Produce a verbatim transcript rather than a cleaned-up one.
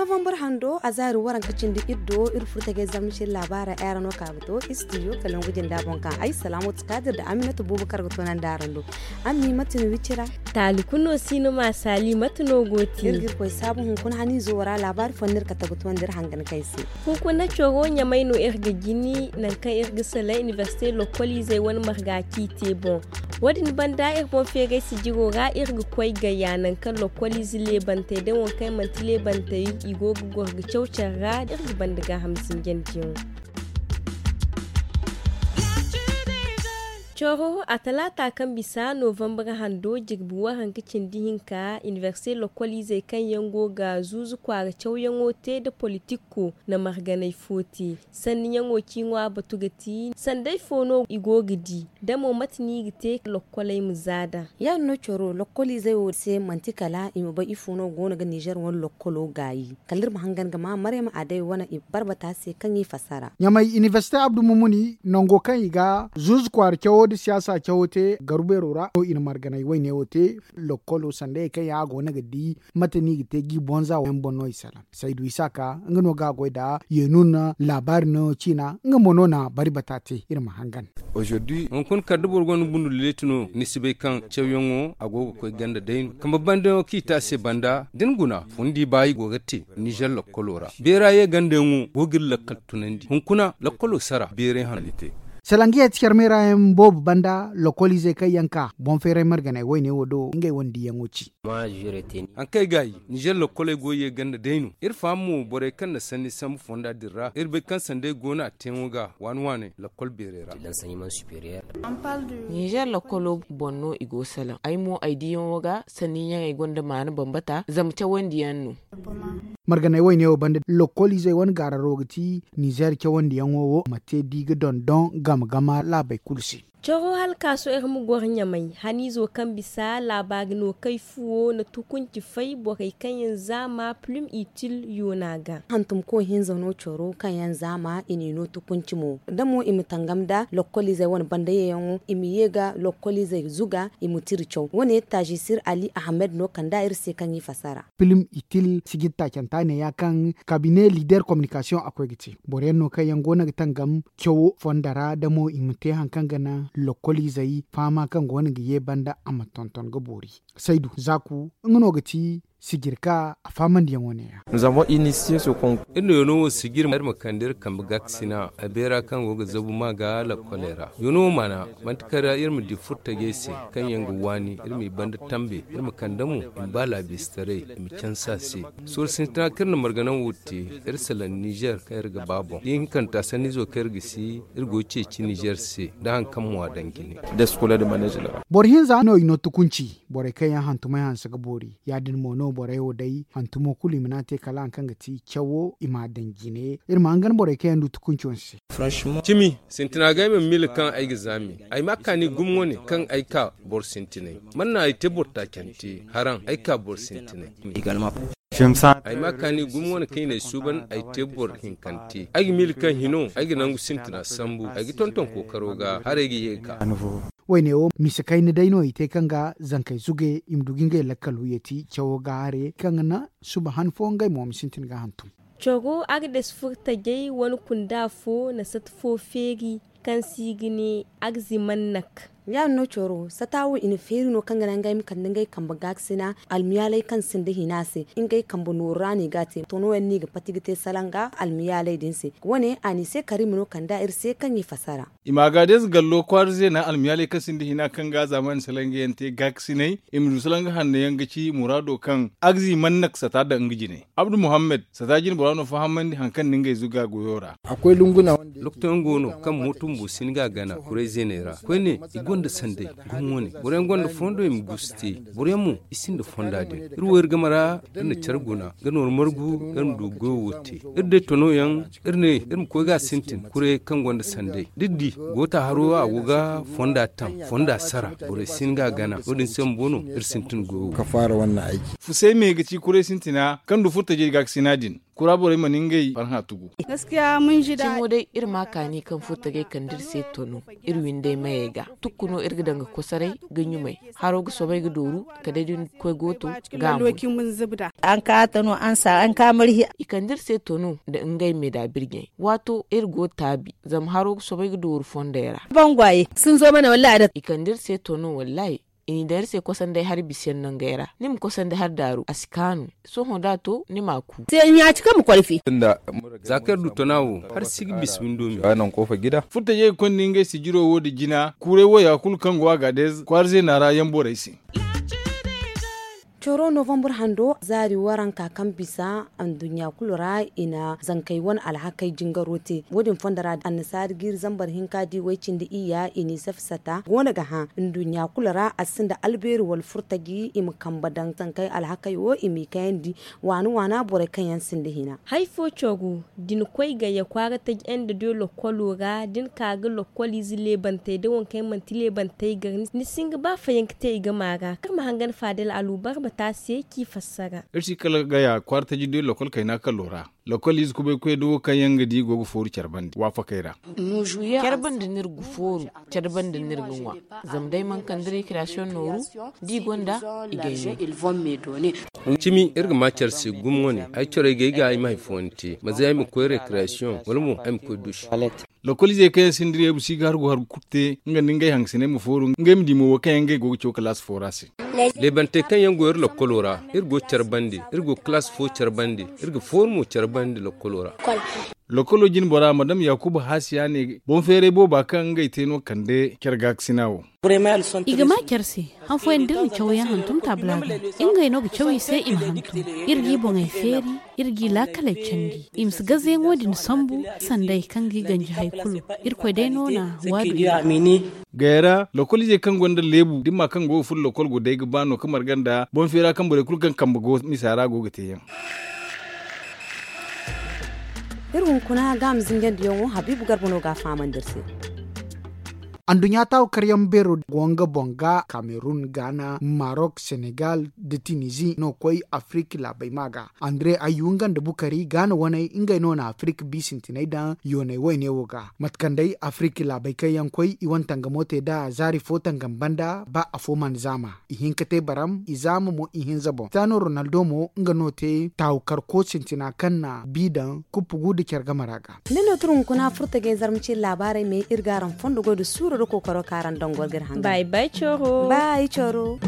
Novembre hando a zaari waranka cindi iri do iri furo tajay zamna cine laabaara ay ra no ka ga to istidiyo kalangu jinda boŋ kaŋ ay salaamatu kaadir nda aminatu boobo kaŋ ga toonandi araŋ do. Ammi mate no wicira? Taali kulu no si no ma saali mate no go ti iri ga iri koy saabu hunkuna haniizo wo ra laabaari fooyaŋ no iri kate ga toonandi iri hangan kaŋ ay se. Hunkuna coro ɲamay no iri ga jini nangu kaŋ iri ga salaŋ inibersite lokkoliizey wane marga ciiti boŋ. Wo- din banda iri boŋ feeray sijiro ra iri ga koy gaya nangu kaŋ lokkoliize leebantey day waŋ kaŋ yaŋ manti leebantey i go ga goro ga caw care ra iri ga banda gaaham zinjandi yaŋo. Coro a talaata kaŋ bisa novembre hando jirbi waranka cindi hinka inibersite lokkoliizey kaŋ yaŋ go ga zuuzu kwaara cawyaŋo te nda politikko na marganay fo te. Sanniyaŋo ciiŋo a batu ga ti sanday fo no i go ga di da mo mate no i ga te lokkoley ma za nd'a. Ya- din no coro lokkoliizey wo se manti kala i ma bay ifo no go no ga nizer wane lokkolo gaayi kala iri ma hangan ga ma maryama aday wane i barbata se kaŋ i fassara. Ɲamay inibersite abdu mumuni nango kaŋ i ga zuuzu kwaara cawo nda siyaasa cawo te garu beero ra no i na marganay wayne wo te. Lokkolo sandayey kaŋ yaŋ a go no ga di mate no i ga te ga i bonza yaŋ boŋ no i salaŋ. Saydu isaaka nga no ga a goy nd'a. Yeenu na laabaari no ciina nga mo no na bari bata te iri ma hangan. Hunkuna kala da boro gonda bundu leeti no ni si bay kaŋ cawyaŋo a go ga koy ganda day no kambe bandayaŋo kaŋ i te a se banda da ni guna fundi ba i go ga te nizer lokkolo ra beera ye gandayaŋo go ga iri lakkal tunandi hunkuna lokkolo sara beeray hanno. Salangiya ti care meera yaŋ boobo banda lokkoliizey kaŋ yaŋ ka boŋ feeray marganay wayne wo do ngey wane diyaŋo ci. Haŋ kaŋ ay gaayi nizer lokkoley go ye ganda day no iri faham mo borey kaŋ na sanni sambu fonda din ra iri bay kaŋ sanday go no a teeyaŋo ga waani waaney lokkol beerey ra. Nizer lokkolo boŋ no i go salaŋ ay mo ay diyaŋo ga sanniyaŋey gonda maana bambata zama cawandiyaŋ no. Marganay wayne wo banda lokkoliizey wane gaararo ga ti nizer cawandiyaŋo wo ma te da i ga dondon gama gama laabey kulu se. Coro halkaaso iri ma goro ɲamay haniizo kaŋ bisa laabaari no kay fuwo na tukunci fay borey kaŋ yaŋ zaama pilim itil yoona ga. Hantumko hinza no coro kaŋ yaŋ zaama i n'i no tukunci mo da mo i ma tangam nda lokkoliizey wane banda yeeyaŋo i ma ye ga lokkoliizey zuga i ma tira caw wane taazisir ali ahamed no kand'a iri se kaŋ i fassara. Pilim itil sijir taacanta neeya kaŋ kabine liider kominikasiyoŋ a koy ga te boro yaŋ no kaŋ yaŋ go no ga tangam cawo fonda ra da mo i ma te hari kaŋ ga naŋ lokkoliizey fahama kaŋ go no ga ye banda a ma tonton ga boori. Saydu zaaku nga no ga ti sijirka a fahamandiyaŋo neeya. Iri na yoono wo sijir iri ma kande iri kambe gaakasina a beera kaŋ go ga zabu ma ga lakkoley ra yoono wo maana manti kala iri ma di furtajey se kaŋ yaŋ ga waani iri m'i banda tambe iri ma kande mo i ma ba laabiistaray i ma canse a se. Sorro sintina kaŋ iri na marganaŋ wo te iri salaŋ nizer kaŋ iri ga ba boŋ da ihinkanta sanniizo kaŋ iri ga si iri go ga ceeci nizer se nda hari kaŋ mo a daŋ jine. Boro hinza no i no tukunci borey kaŋ yaŋ hantumey hanse ga boori ya- din mo no borey wo day hantumo kulu i mana te kala hari kaŋ ga ti cawo i m'a daŋ jine iri ma hangan borey kaŋ yaŋ du tukunco se. Cimi sintina ga ay ma miila kaŋ ay ga zaami ay ma a kaani gumo wane kaŋ ay ka boro sintinay man na ay te boro taacante haraŋ ay ka boro sintinay. Ay ma a kaani gumo wane kaŋ i na ay suuban ay te boro hinkante ay ga miila kaŋ hino ay ga nangu sintina sambu ay ga tonton kookaro ga haray ga ye ga ka. Wayne wo mise kayna day no i te kaŋ ga zankey zuge i ma du ga ngey lakkal wiyeti cawo ga hare kaŋ ga naŋ suba han fo ngey mo ma sintin ga hantum. Coro agdes furtajey wane kunda fo na sata fo feeri kaŋ se i ga ne agzimannak. Ya- din no coro sata wo i na feeri no kaŋ ga naŋ ngey ma kande ngey kambe gaakasina almiyaaley kaŋ sinda hina se ngey kambe nooru ra no i ga a te tono yaŋ no i ga pati ga te salanga almiyaaley din se wane a n'i se kariima no kand'a iri se kaŋ i fassara. I ma ga deeze gallo kwaara zeena almiyaaley kaŋ sinda hina kaŋ ga zaamaani salanga yaŋ te gaakasinay i ma du salanga hanno yaŋ ga ci muraado kaŋ agzi mannak sata daŋ nga jine abdu muhammad sata jine bora no fahamandi hari kaŋ na ngey zuga goyo ra. Lokotoyaŋ go no kaŋ mooto bumbo si ni ga a gana kuray zeeney ra koyne i gonda sanday gumo wane boroyaŋ gonda fondo i ma guusu te boroyaŋ mo i sinda fonda din iri wo iri game ra iri na care guna ga nooru margu iri ma du goyo wo te iri day tono yaŋ iri ne iri ma koy ga a sintin kuray kaŋ gonda sanday da iri di goota haro a go ga fonda taŋ fonda sara borey si ni ga a gana no- din se bumbo no iri sintin goyo wo. Fusay me ga ci kuray sintina kaŋ du furtajey gaakasina din. kura borey mana ngey farhã tugu. Cimo day iri ma kaani kaŋ furtagey kande iri se tono iri windey mayey ga tukku no iri ga daŋ ga kosoray ga ɲumay. Haro ga soobay ga dooru kala day da ni koy gooto ga a moy. I kande iri se tono nda ngey me da birjey waato iri go taabi zama haro ga soobay ga dooru fondey ra. I kande iri se tono wallaahi. I n'i daŋ iri se kosonday hari bisa yaŋ nangey ra ni ma kosonday hari daaru a si kaanu. Sohõ da a to ni m'a ku. Za kaŋ iri du tona wo hari si ga bisa windo me. Furtajey ga konda ngey sijiro wo nda jina kuuray wo ya kulu kaŋ go a ga a deeza kwaara zeena ra yaŋ borey se. Coro novambur hando zaari waranka kaŋ bisa anduɲɲa kulu ra i na zankey wane alhakey jingaro te. Wo- din fondo ra annasaari jiiri zambar hinka di way cindi iyya i n'i safe sata go no ga hã nduɲɲa kulu ra a sinda albeeri wala furtaji i ma kambe daŋ zankey alhakey wo i m'i kayandi. Waana waana borey kaŋ yaŋ sinda hina. Hari fo coro da ni koy gayya kwaara taji nda doy lokkolo ra da ni ka ga lokkoliize leebantey da waŋ kaŋ yaŋ manti leebantey gar ni si hin ga ba fayanka te i game ra kaŋ ma hangan faadal alubarba te a se k'i fassara. Iri si kala gaya kwaara taji doy lokkol kayna kalo ra. Lokkoliize kubaykoy da wo kaŋ yaŋ ga di go ga fooru care bande waafakey ra. Care bande no iri ga fooru care bande no iri ga ŋwa. Zama day mana kande rekriyasiyoŋ nooru da i gonda i gay no. Cimi iri ga ma care se gumo wane ay corey ga ay ga ay ma hari fooyaŋ te ma zay ay ma koy rekriyasiyoŋ wala mo ay ma koy duusi. Lokoliizey kaŋ yaŋ sinda reebu si ga hargu hargu kulu te nga nda ngey hangasiney ma fooru ngey ma di mo wo kaŋ yaŋ ngey go ga caw kalaasi fo ra se. Leebantey kaŋ yaŋ go iri lokkolo ra iri go care bande iri go kalaasi fo care bande iri ga fooru mo care bande lokkolo ra. Lokolo jine bora madam yaakuba haasiya ne boŋ feeray booba kaŋ ngey te no kande care gaakasina wo. I ga ma care se han fooyaŋ da iri na cawyaŋ hantum taabula ga ngey no ga caw i se i ma hantum. Iri g'i boŋey feeri iri g'i laakaley candi. I ma si gazeyaŋo din sambu sanday kaŋ g'i ganji hari kulu. Irkoy day no na waadu. Gayra lokoliizey kaŋ gonda leebu dimma kaŋ go ga furo lokol go day ga ba no ka marga nda boŋ feera kaŋ borey kulu kaŋ kambe go misa ra go ga teeyaŋ. Iri hunkuna gaama zinjandiyaŋo habiibu garba no ga a fahamandi iri se. Anduɲɲa taawu karyaŋ beero go nga boŋ ga kamerun gaana marok senegal nda tinizi no koy afiriki laabey ma ga. Andre ayyu nga nda bukari gaana waney ngey no na afiriki bi sintiney daŋ yooney wayne wo ga mate kaŋ day afiriki laabey kaŋ yaŋ koy i wane tangamo te nd'a zaari fo tangam banda ba afo mana zaama. I hin ka te baram i zaama mo ihinza boŋ cristiano ronaldo mo nga no te taawukarko sintina kaŋ na bi daŋ kuppu gu nda care game ra ga. Ni no turu hunkuna furtajey zarma ciiri laabaarey me iri ga araŋ fondo goy nda suuro nda kookaro kaŋ araŋ daŋ goro ga iri hangan. Bay bay coro. Bay coro.